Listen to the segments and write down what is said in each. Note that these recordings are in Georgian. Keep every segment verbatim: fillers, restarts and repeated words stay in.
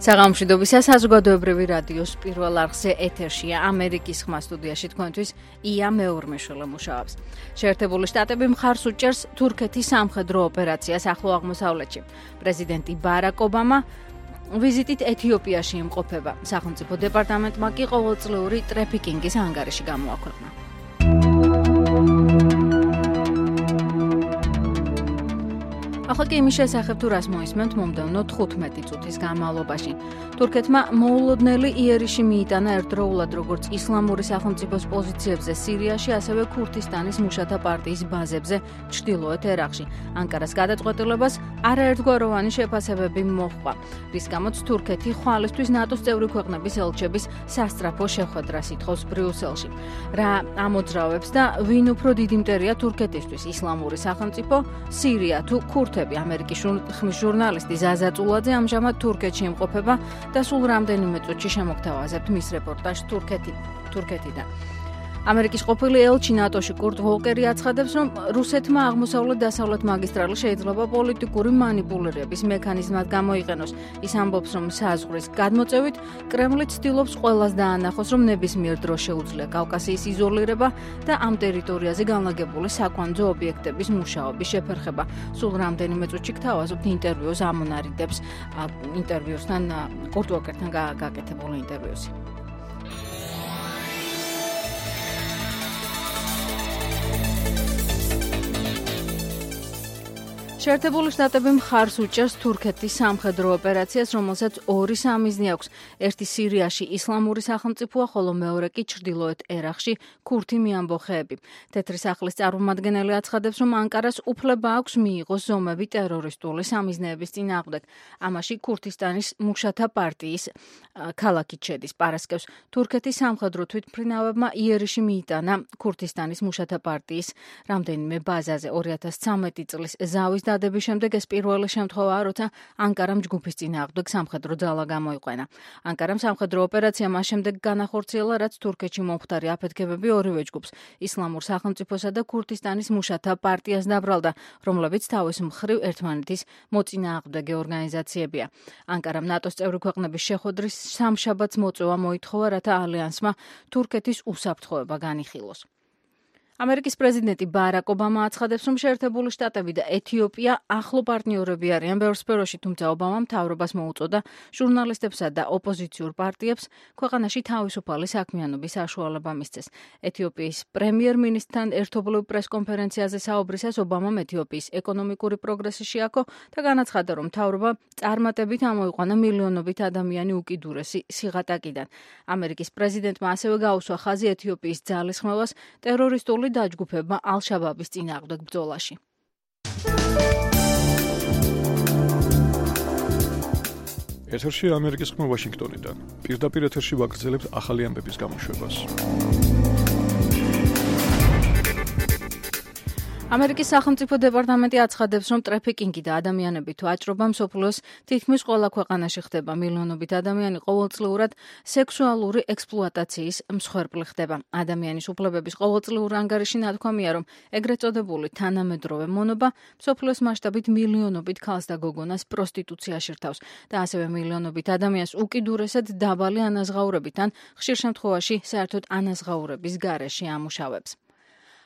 საღამოშვიდობისა საზოგადოებრივი რადიოს პირველ არხზე ეთერშია ამერიკის ხმა სტუდიაში თქვენთვის ია მეურმეშვილე მუშაობს. შეერთებული შტატები მხარს უჭერს თურქეთის სამხედრო ოპერაციას ახლო აღმოსავლეთში. პრეზიდენტი ბარაკ ობამა ვიზიტით ეთიოპიაში იმყოფება. სახელმწიფო დეპარტამენტმა კი ყოველწლიური ტრაფიკინგის ანგარიში გამოაქვეყნა. ახლა კი იმის შესახებ თუ რას მოისმენთ მომდევნო თხუთმეტი წუთის განმავლობაში. თურქეთმა მოულოდნელი იერიში მიიტანა ერთდროულად როგორც ისლამური სახელმწიფოს პოზიციებზე სირიაში, ასევე ქურთისტანის მუშათა პარტიის ბაზებზე ჩრდილოეთ ერაყში. ანკარას გადაწყვეტილებას არაერთგვაროვანი შეფასებები მოჰყვა, რის გამოც თურქეთი ხვალისთვის ნატოს წევრი ქვეყნების ელჩების სასწრაფო შეხვედრას ითხოვს ბრიუსელში. რა ამოძრავებს და ვინ უფრო დიდი მტერია თურქეთისთვის, ისლამური სახელმწიფო, სირია თუ ქურთები? ამერიკის ხმის ჟურნალისტი ზაზა წულაძე ამჟამად თურქეთში იმყოფება და სულ რამდენიმე წუთში შემოგთავაზებთ მის რეპორტაჟს თურქეთიდან. ამერიკის ყოფილი ელჩი ნატოში კურტ ვოლკერი აცხადებს, რომ რუსეთმა აღმოსავლეთ-დასავლეთ მაგისტრალი შეიძლება პოლიტიკური მანიპულირების მექანიზმად გამოიყენოს. ის ამბობს, რომ საზღვრის გადმოწევით კრემლი ცდილობს ყველას დაანახოს, რომ ნებისმიერ დროს შეუძლია კავკასიის იზოლირება და ამ ტერიტორიაზე განლაგებული საკვანძო ობიექტების მუშაობის შეფერხება. სულ რამდენიმე წუთში გთავაზობთ ინტერვიუს ამონარიდებს ინტერვიუსთან კურტ ვოლკერთან გაკეთებული ინტერვიუსი. შეერთებული შტატები მხარს უჭერს თურქეთის სამხედრო ოპერაციას, რომელსაც ორი სამიზნე აქვს. ერთი სირიაში ისლამური სახელმწიფოა, ხოლო მეორე კი ჩრდილოეთ ერაყში ქურთი მიამბოხეები. თეთრი სახლის წარმომადგენელი აცხადებს, რომ ანკარას უფლება აქვს მიიღოს ზომები ტერორისტული სამიზნეების წინააღმდეგ. ამაში ქურთისტანის მუშათა პარტიის ქალაქი შედის. პარასკევს თურქეთის სამხედრო თვითმფრინავებმა იერიში მიიტანა ქურთისტანის მუშათა პარტიის რამდენიმე ბაზაზე. ორი ათას ცხრამეტი წლის ზავის დადების შემდეგ ეს პირველი შემთხვევაა, როცა ანკარამ ჯგუფის წინააღმდეგ სამხედრო ძალა გამოიყვანა. ანკარამ სამხედრო ოპერაცია მას შემდეგ განახორციელა, რაც თურქეთში მომხდარი აფეთქებები ორივე ჯგუფს, ისლამურ სახელმწიფოსა და ქურთისტანის მუშათა პარტიას დაბრალდა, რომლებიც თავის მხრივ ერთმანეთის მოწინააღმდეგე ორგანიზაციებია. ანკარამ ნატოს წევრი ქვეყნების შეხვედრის სამშაბათს მოწვევა მოითხოვა, რათა ალიანსმა თურქეთის უსაფრთხოება განიხილოს. ამერიკის პრეზიდენტი ბარაკ ობამა აცხადებს, რომ შეერთებული შტატები და ეთიოპია ახლო პარტნიორები არიან ბევრ სფეროში, თუმცა ობამამ მთავრობას მოუწოდა ჟურნალისტებსა და ოპოზიციურ პარტიებს ქვეყანაში თავისუფალი საქმიანობის საშუალება მისცეს. ეთიოპიის პრემიერ-მინისტრთან ერთობლივ პრესკონფერენციაზე საუბრისას ობამამ ეთიოპიის ეკონომიკური პროგრესი შეაქო და განაცხადა, რომ მთავრობა წარმატებით ამოიყვანა მილიონობით ადამიანი უკიდურესი სიღატაკიდან. ამერიკის პრეზიდენტმა ასევე გაუსვა ხაზი ეთიოპიის ძალისხმევას ტერორისტული დაჯგუფება ალ-შაბაბის წინააღმდეგ ბრძოლაში. ეთერში ამერიკის ხმა ვაშინგტონიდან. პირდაპირ ეთერში ვაგრძელებთ ახალი ამბების გამოშვებას. ამერიკის სახელმწიფო დეპარტამენტი აცხადებს, რომ ტრაფიკინგი და ადამიანებით ვაჭრობა მსოფლიოს თითქმის ყველა ქვეყანაში ხდება. მილიონობით ადამიანი ყოველწლიურად სექსუალური ექსპლუატაციის მსხვერპლი ხდება. ადამიანის უფლებების ყოველწლიურ ანგარიში ნათქვამია, რომ ეგრეთ წოდებული თანამედროვე მონობა მსოფლიოს მასშტაბით მილიონობით ქალს და გოგონას პროსტიტუციაში რთავს და ასევე მილიონობით ადამიანს უკიდურესად დაბალი ანაზღაურებით ან ხშირ შემთხვევაში საერთოდ ანაზღაურების გარეშე ამუშავებს.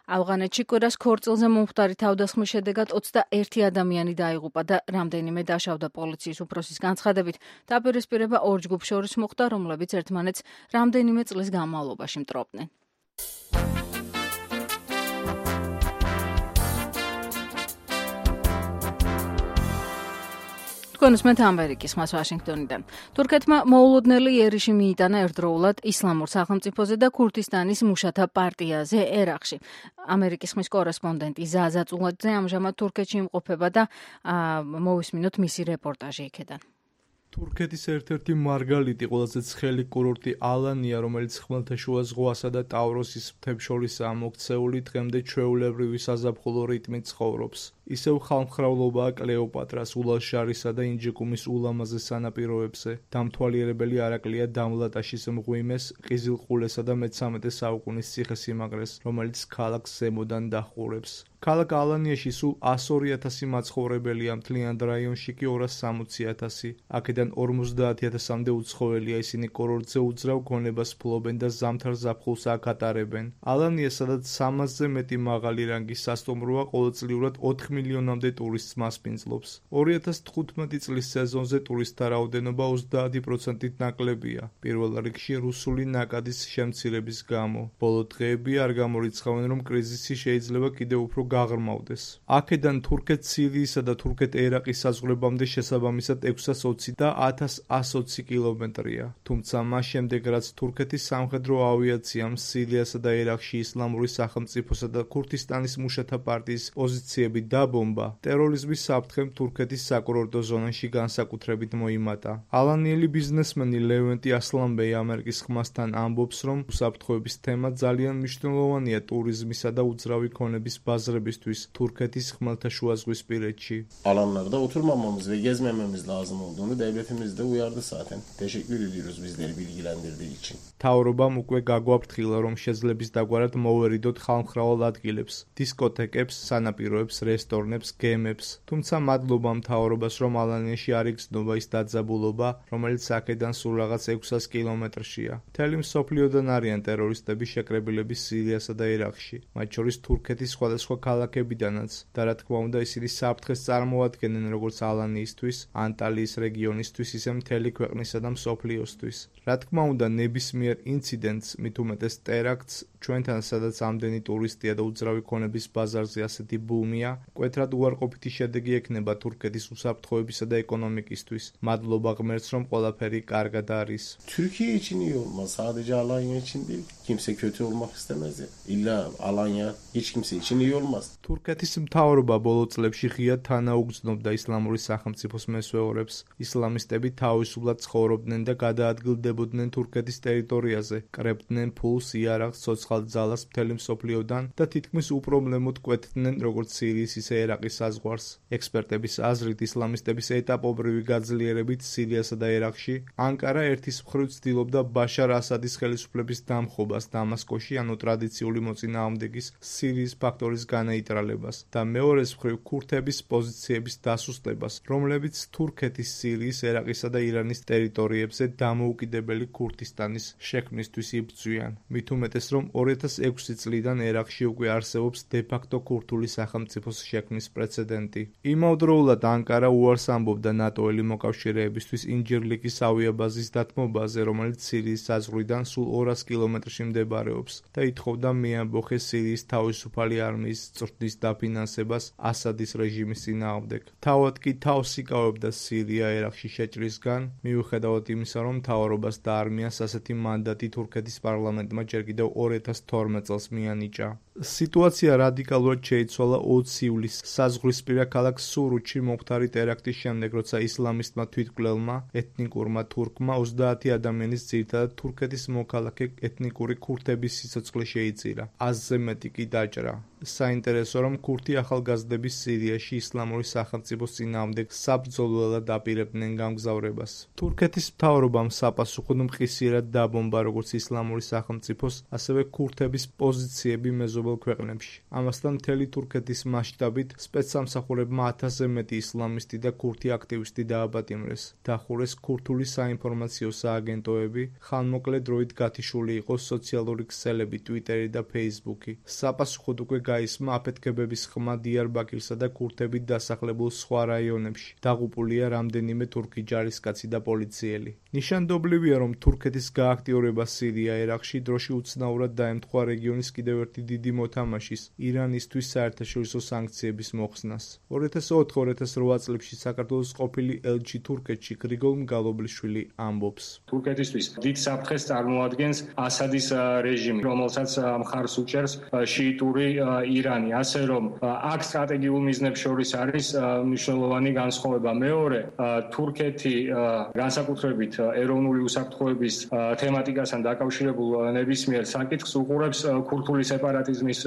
ავღანეთში კვირას ქორწილზე მომხდარი თავდასხმის შედეგად ოცდაერთი ადამიანი დაიღუპა და რამდენიმე დაშავდა. პოლიციის უფროსის განცხადებით, დაპირისპირება ორ ჯგუფს შორის მოხდა, რომლებიც ერთმანეთს რამდენიმე წლის განმავლობაში მტრობდნენ. თქვენ უსმენთ ამერიკის ხმას ვაშინგტონიდან. თურქეთმა მოულოდნელი იერიში მიიტანა ერთდროულად ისლამურ სახელმწიფოზე და ქურთისტანის მუშათა პარტიაზე ერაყში. ამერიკის ხმის კორესპონდენტი ზაზა წულაძე ამჟამად თურქეთში იმყოფება და მოვისმინოთ მისი რეპორტაჟი იქედან. თურქეთის ერთ-ერთი მარგალიტი ყველაზე ცხელი კურორტი ალანია, რომელიც ხმელთაშუა ზღვასა და ტავროსის მთებს შორისაა მოქცეული, დღემდე ჩვეულებრივი საზაფხულო რიტმით ცხოვრობს. ისევ ხალხმრავლობაა კლეოპატრას, ულაშარისა და ინჯიკუმის ულამაზეს სანაპიროებზე. დამთვალიერებელი არაკლია დამლატაშის მღვიმეს, ყიზილყულესა და მეთერთმეტე საუკუნის ციხესიმაგრეს, რომელიც ქალაქს ზემოდან დაჰყურებს. ქალაქ ალანიაში სულ ასორი ათასი მაცხოვრებელია, მთლიან რაიონში კი ორას სამოცი ათასი. აქედან ორმოცდაათი ათასამდე უცხოელია, ისინი კურორტზე უძრავ გონებას ფლობენ და ზამთარ ზაფხულს აქ ატარებენ. ალანია, სადაც სამასზე მეტი მაღალი რანგის სასტუმროა, ყოველწლიურად ოთხ მილიონამდე ტურისტს მასპინძლობს. ორი ათას თხუთმეტი წლის სეზონზე ტურისტთა რაოდენობა ოცდაათი პროცენტით ნაკლებია, პირველ რიგში რუსული ნაკადის შემცირების გამო. ბოლო დღეები არ გამორიცხავენ, რომ კრიზისი შეიძლება კიდევ უფრო გაღრმავდეს. აქედან თურქეთ-სირიისა და თურქეთ-ერაყის საზღვრებამდე შესაბამისად ექვსას ოცი და ათას ას ოცი კილომეტრია. თუმცა მას შემდეგ, რაც თურქეთის სამხედრო ავიაციამ სირიასა და ერაყში ისლამური სახელმწიფოსა და ქურთისტანის მუშათა პარტიის პოზიციები დაბომბა, ტერორიზმის საფრთხემ თურქეთის საკურორტო ზონაში განსაკუთრებით მოიმატა. ალანიელი ბიზნესმენი ლევენტი ასლანბეი ამერიკის ხმასთან ამბობს, რომ უსაფრთხოების თემა ძალიან მნიშვნელოვანია ტურიზმისა და uძრავი ქონების ბაზრებისთვის თურქეთის ხმელთაშუაზღვისპირეთში. Alanlarda oturmamamız ve gezmememiz lazım olduğunu devletimiz de uyardı zaten. Teşekkür ediyoruz bizleri bilgilendirdiği için. Თავრობამ უკვე გაგვაფრთხილა, რომ შეძლებს დაგვარად მოვერიდოთ ხალხმრავალ ადგილებს, დისკოთეკებს, სანაპიროებს, რესტორნებს, გემებს. თუმცა მადლობა მთავრობას, რომ ალანიაში არ იგრძნობა ის დაძაბულობა, რომელიც აქედან სულ რაღაც ექვსას კილომეტრშია. მთელი მსოფლიოდან არიან ტერორისტები შეკრებილები სირიასა და ერაყში, მათ შორის თურქეთის სხვადასხვა ქალაქებიდანაც და რა თქმა უნდა ისინი საფრთხეს წარმოადგენენ როგორც ალანიისთვის, ანტალიის რეგიონისთვის, ისე მთელი ქვეყნისა და მსოფლიოსთვის. რა თქმა უნდა ნებისმიერ ინციდენტს, მით უმეტეს ტერაქტს, ჩვენთან სადაც ამდენი ტურისტია და უძრავი ქონების ბაზარზე ასეთი ბუმია, მკვეთრად უარყოფითი შედეგი ექნება თურქეთის უსაფრთხოებისა და ეკონომიკისთვის. Madloba ღმერთს, რომ ყველაფერი კარგად არის. Türkiye için iyi olmaz. Sadece Alanya için değil. Kimse kötü olmak istemez ya. İlla Alanya hiç kimse için iyi olmaz. თურქეთის მთავრობა ბოლო წლებში ღიად თანაუგრძნობდა ისლამური სახელმწიფოს მესვეორებს. ისლამისტები თავისუფლად ცხოვრობდნენ და გადაადგილდებოდნენ თურქეთის ტერიტორიაზე, კრებდნენ ფულს, იარაღს, ცოცხალ ძალას მთელი მსოფლიოდან და თითქმის უპრობლემოდ კვეთდნენ როგორც სირიის, ისე ერაყის საზღვარს. ექსპერტების აზრით, ისლამისტების ეტაპობრივი გაძლიერებით სირიასა და ერაყში, ანკარა ერთის მხრივ ცდილობდა ბაშარ ასადის ხელისუფლების დამხობას დამასკოში, ანუ ტრადიციული მოწინააღმდეგის სირიის ფაქტორის განეიტრალებას და მეორეს მხრივ ქურთების პოზიციების დასუსტებას, რომლებიც თურქეთის, სირიის, ერაყისა და ირანის ტერიტორიებზე დამოუკიდებელი ქურთისტანის შექმნისთვის იბრძვიან. მით უმეტეს, რომ ორი ათას ექვსი წლიდან ერაყში უკვე არსებობს დე-ფაქტო ქურთული სახელმწიფოს შექმნის პრეცედენტი. იმავდროულად ანკარა უარს ამბობდა ნატოელი მოკავშირეებისთვის ინჯირლიკის ავიაბაზის დათმობაზე, რომელიც სირიის საზღვრიდან სულ ორას კილომეტრში მდებარეობს და ითხოვდა მიამბოხეს სირიის თავისუფალი არმიის წვრთნის დაფინანსებას ასადის რეჟიმის წინააღმდეგ. თავად კი თავს იკავებდა სირია ერაყში შეჭრისგან, მიუხედავად იმისა, რომ მთავრობას და არმიას ასეთი მანდატი თურქეთის პარლამენტმა ჯერ კიდევ ორი ათას თორმეტ წელს მიანიჭა. სიტუაცია რადიკალურად შეიცვალა ოცი ივლისს საზღვრისპირა ქალაქ სურუთში მომხდარი ტერაქტის შემდეგ, როცა ისლამისტმა თვითმკვლელმა ეთნიკურმა თურქმა ოცდაათი ადამიანის ძირითადად თურქეთის მოქალაქე ეთნიკური ქურთების სიცოცხლე შეიწირა. აზზე მეტი კი დაჭრა. საინტერესო, რომ ქურთი ახალგაზრდები სირიაში ისლამური სახელმწიფოს წინააღმდეგ საბრძოლველად აპირებდნენ გამგზავრებას. თურქეთის მთავრობამ საპასუხოდ მყისიერად დაბომბა როგორც ისლამური სახელმწიფოს, ასევე ქურთების პოზიციები მეზობელ ქვეყნებში. ამასთან მთელი თურქეთის მასშტაბით სპეცსამსახურებმა ათასზე მეტი ისლამისტი და ქურთი აქტივისტი დააპატიმრეს. დახურეს ქურთული საინფორმაციო სააგენტოები, ხანმოკლე დროით გათიშული იყო სოციალური ქსელები, ტვიტერი და ფეისბუქი. საპასუხოდ უკვე გაისმა აფეთქებების ხმა დიარბაქირსა და ქურთებით დასახლებულ სხვა რაიონებში. დაღუპულია რამდენიმე თურქი ჯარისკაცი და პოლიციელი. ნიშანდობლივია, რომ თურქეთის გააქტიურება სირია ერაყში დროში უცნაურად დაემთხვა რეგიონის კიდევ ერთი დიდი მოთამაშის, ირანისთვის საერთაშორისო სანქციების მოხსნას. ორი ათას ოთხ ორი ათას რვა წლებში საქართველოს ყოფილი ელჩი თურქეთში გრიგოლ მგალობლიშვილი ამბობს. თურქეთისთვის დიდ საფრთხეს წარმოადგენს ასადის რეჟიმი, რომელსაც მხარს უჭერს შიიტური ირანი, ასე რომ აქ სტრატეგიულ მიზნებს შორის არის მნიშვნელოვანი განსხვავება. მეორე, თურქეთი განსაკუთრებით ეროვნული უსაფრთხოების თემატიკასთან დაკავშირებულ ნებისმიერ საკითხს უყურებს ქურთული სეპარატიზმის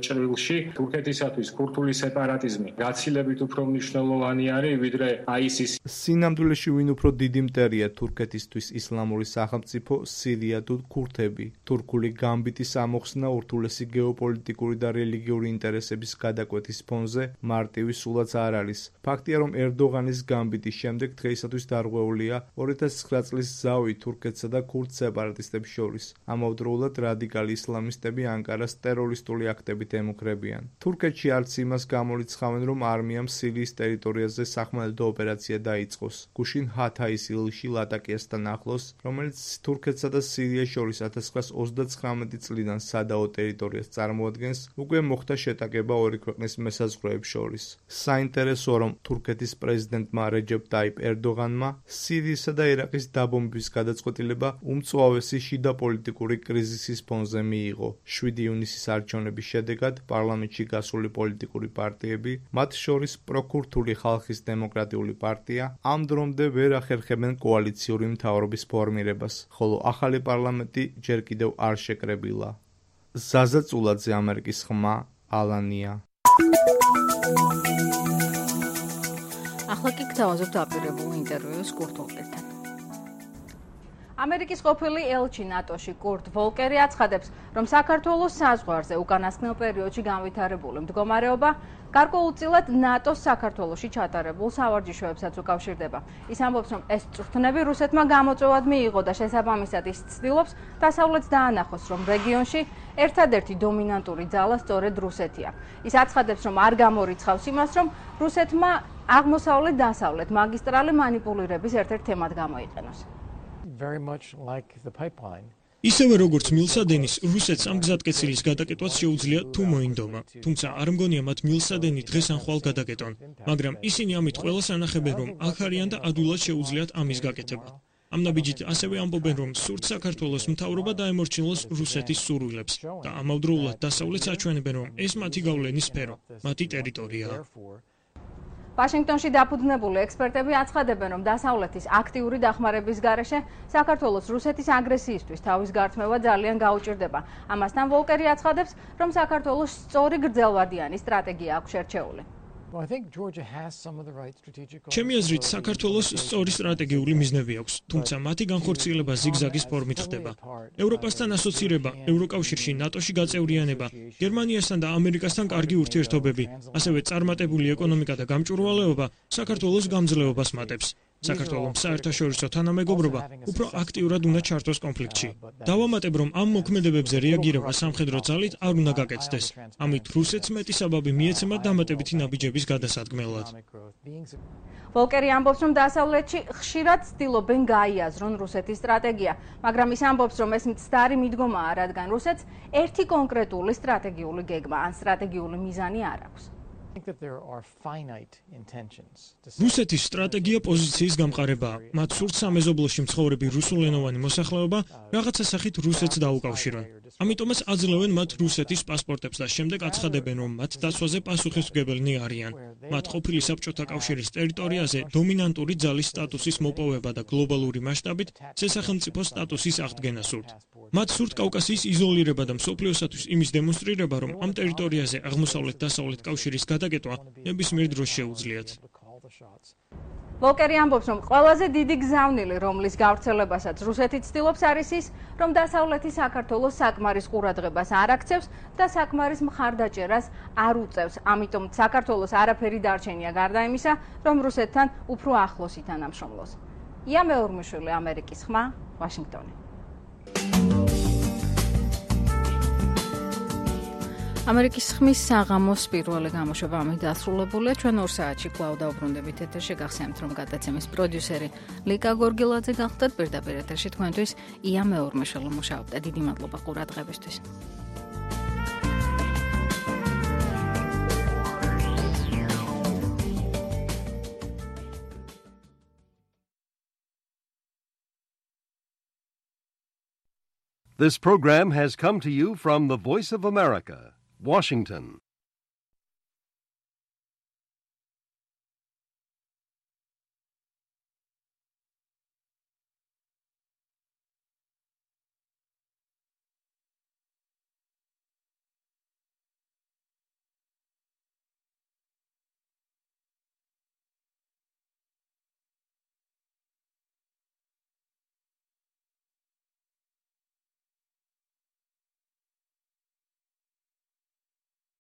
ჭრილში. თურქეთისათვის ქურთული სეპარატიზმი გაცილებით უფრო მნიშვნელოვანი არის, ვიდრე აისის. სინამდვილეში ვინ უფრო დიდი მტერია თურქეთისთვის ისლამური სახელმწიფო, სირია თუ ქურთები? თურქული გამბიტის ამოხსნა ურთულესი გეოპოლიტიკური და რელიგიური ინტერესების გადაკვეთის ფონზე მარტივი სულაც არ არის. ფაქტია, რომ ერდოღანის გამბიტის შემდეგ დღეისათვის დარღვეულია ორი ათას ცხრა წლის ზავი თურქეთსა და ქურთ სეპარატისტებს შორის. ამავდროულად რადიკალი ისლამისტები ანკარას ტერორისტული აქტებით ემუქრებიან. თურქეთში არც იმას გამორიცხავენ, რომ არმიამ სირიის ტერიტორიაზე სახმელეთო ოპერაცია დაიწყოს. გუშინ ჰათაის ილში ლატაკიასთან ახლოს, რომელიც თურქეთსა და სირიას შორის ათას ცხრაას ოცდაცხრამეტი წლიდან სადაო ტერიტორიას წარმოადგენს, უკვე მოხდა შეტაკება ორი ქვეყნის მესაზღვრეებს შორის. საინტერესოა, რომ თურქეთის პრეზიდენტმა რეჯეპ ტაიპ ერდოღანმა სირიისა და ერაყის დაბომბვის გადაწყვეტილება უმწვავესი შიდა პოლიტიკური კრიზისის ფონზე მიიღო. შვიდი ივნისის არჩევნების შედეგად პარლამენტში გასული პოლიტიკური პარტიები, მათ შორის პროქურთული ხალხის დემოკრატიული პარტია, ამ დრომდე ვერ ახერხებენ კოალიციური მთავრობის ფორმირებას, ხოლო ახალი პარლამენტი ჯერ კიდევ არ შეკრებილა. ზაზა წულაძე, ამერიკის ხმა, ალანია. ახლა კი გთავაზობთ აპირებულ ინტერვიუს კურტ ვოლკერთან. ამერიკის ყოფილი ელჩი ნატოში კურტ ვოლკერი აცხადებს, რომ საქართველოს საზღვარზე უკანასკნელ პერიოდში განვითარებული მდგომარეობა გარკვეულწილად ნატოს საქართველოში ჩატარებულ სავარჯიშოებსაც უკავშირდება. ის ამბობს, რომ ეს წვრთნები რუსეთმა გამოწვევად მიიღო და შესაბამისად ის ცდილობს დასავლეთს დაანახოს, რომ რეგიონში ერთადერთი დომინანტური ძალა სწორედ რუსეთია. ის აცხადებს, რომ არ გამორიცხავს იმას, რომ რუსეთმა აღმოსავლეთ-დასავლეთ მაგისტრალი მანიპულირების ერთ-ერთ თემად გამოიყენოს. Very much like the pipeline. ისევე როგორც მილსადენის, რუსეთს ამ გზატკეცილის გადაკეტვაც შეუძლია თუ მოინდომა. თუმცა არ მგონია მათ მილსადენი დღეს ან ხვალ გადაკეტონ, მაგრამ ისინი ამით ყველას ანახებენ, რომ აქ არიან და ადვილად შეუძლიათ ამის გაკეთება. ამ ნაბიჯით ასევე ამბობენ, რომ სურთ საქართველოს მთავრობა დაემორჩილოს რუსეთის სურვილებს და ამავდროულად დასავლეთს აჩვენებენ, რომ ეს მათი გავლენის სფერო, მათი ტერიტორიაა. ვაშინგტონში დაფუძნებული ექსპერტები აცხადებენ, რომ დასავლეთის აქტიური დახმარების გარეშე საქართველოს რუსეთის აგრესიისთვის თავის გართმევა ძალიან გაუჭირდება. ამასთან ვოლკერი აცხადებს, რომ საქართველოს სწორი გრძელვადიანი სტრატეგია აქვს შერჩეული. ჩემი აზრით, საქართველოს სწორი სტრატეგიული მიზნები აქვს, თუმცა მათი განხორციელება ზიგზაგის ფორმით ხდება. ევროპასთან ასოცირება, ევროკავშირში, ნატოში გაწევრიანება, გერმანიასთან და ამერიკასთან კარგი ურთიერთობები, ასევე წარმატებული ეკონომიკა და გამჭვირვალეობა საქართველოს გამძლეობას მატებს. საქართველოს საერთაშორისო თანამეგობრობა უფრო აქტიურად უნდა ჩართოს კონფლიქტში. დავამატებ, რომ ამ მოქმედებებზე რეაგირება სამხედრო ძალით არ უნდა გაკეთდეს. ამით რუსეთს მეტი საბაბი მიეცემა დამატებითი ნაბიჯების გადასადგმელად. ვოლკერი ამბობს, რომ დასავლეთში ხშირად ცდილობენ გაიაზრონ რუსეთის სტრატეგია, მაგრამ ის ამბობს, რომ ეს მცდარი მიდგომაა, რადგან რუსეთს ერთი კონკრეტული სტრატეგიული გეგმა ან სტრატეგიული მიზანი არ აქვს. რუსეთის სტრატეგია პოზიციის გამყარებაა. მათ სურთ სამეზობლოში მცხოვრები რუსულენოვანი მოსახლეობა რაღაცა სახით რუსეთს დაუკავშირონ. ამიტომაც აძლევენ მათ რუსეთის პასპორტებს და შემდეგ აცხადებენ, რომ მათ დაცვაზე პასუხისმგებელნი არიან. მათ ყოფილი საბჭოთა კავშირის ტერიტორიაზე დომინანტური ძალის სტატუსის მოპოვება და გლობალური მასშტაბით შესახელმწიფო სტატუსის აღდგენა სურთ. მათ სურთ კავკასიის იზოლირება და მსოფლიოსათვის იმის დემონსტრირება, რომ ამ ტერიტორიაზე აღმოსავლეთ-დასავლეთ კავშირის გადაკეტვა ნებისმიერ დროს შეუძლიათ. ვოლკერი ამბობს, რომ ყველაზე დიდი გზავნილი, რომლის გავრცელებასაც რუსეთი ცდილობს, არის ის, რომ დასავლეთი საქართველოს საკმარის ყურადღებას არ აქცევს და საკმარის მხარდაჭერას არ უწევს. ამიტომ საქართველოს არაფერი დარჩენია გარდა იმისა, რომ რუსეთთან უფრო ახლოს ითანამშრომლოს. ია მეორმიშვილი, ამერიკის ხმა, ვაშინგტონი. ამერიკის ხმის საღამოს პირველი გამოშვება ამით დასრულებულია. ჩვენ ორ საათში კვლავ დავბრუნდებით ეთერში. გახსენებთ, რომ გადაცემის პროდიუსერი ლიკა გორგილაძე გახდათ. პირდაპირ ეთერში თქვენთვის ია მეორმიშვილი მუშაობდა. დიდი მადლობა ყურადღებისთვის. This program has come to you from the Voice of America, Washington.